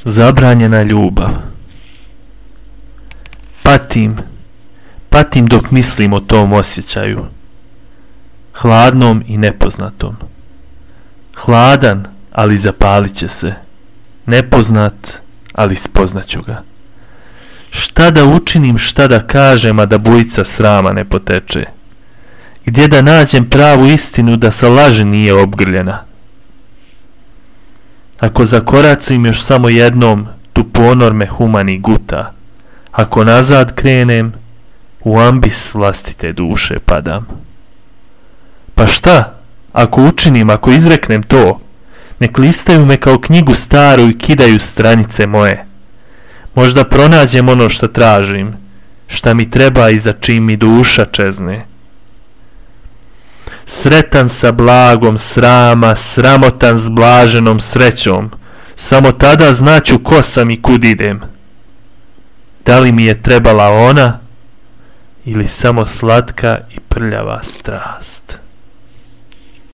Zabranjena ljubav. Patim dok mislim o tom osjećaju. Hladnom i nepoznatom. Hladan, ali zapalit će se. Nepoznat, ali spoznaću ga. Šta da učinim, šta da kažem, a da bujica srama ne poteče? Gdje da nađem pravu istinu da sa laži nije obgrljena? Ako zakoracim još samo jednom, tu ponor me humani guta. Ako nazad krenem, u ambis vlastite duše padam. Pa šta? Ako učinim, ako izreknem to, nek listaju me kao knjigu staru i kidaju stranice moje. Možda pronađem ono što tražim, šta mi treba i za čim mi duša čezne. Sretan sa blagom srama, sramotan s blaženom srećom, samo tada znaću ko sam i kud idem. Da li mi je trebala ona ili samo slatka i prljava strast?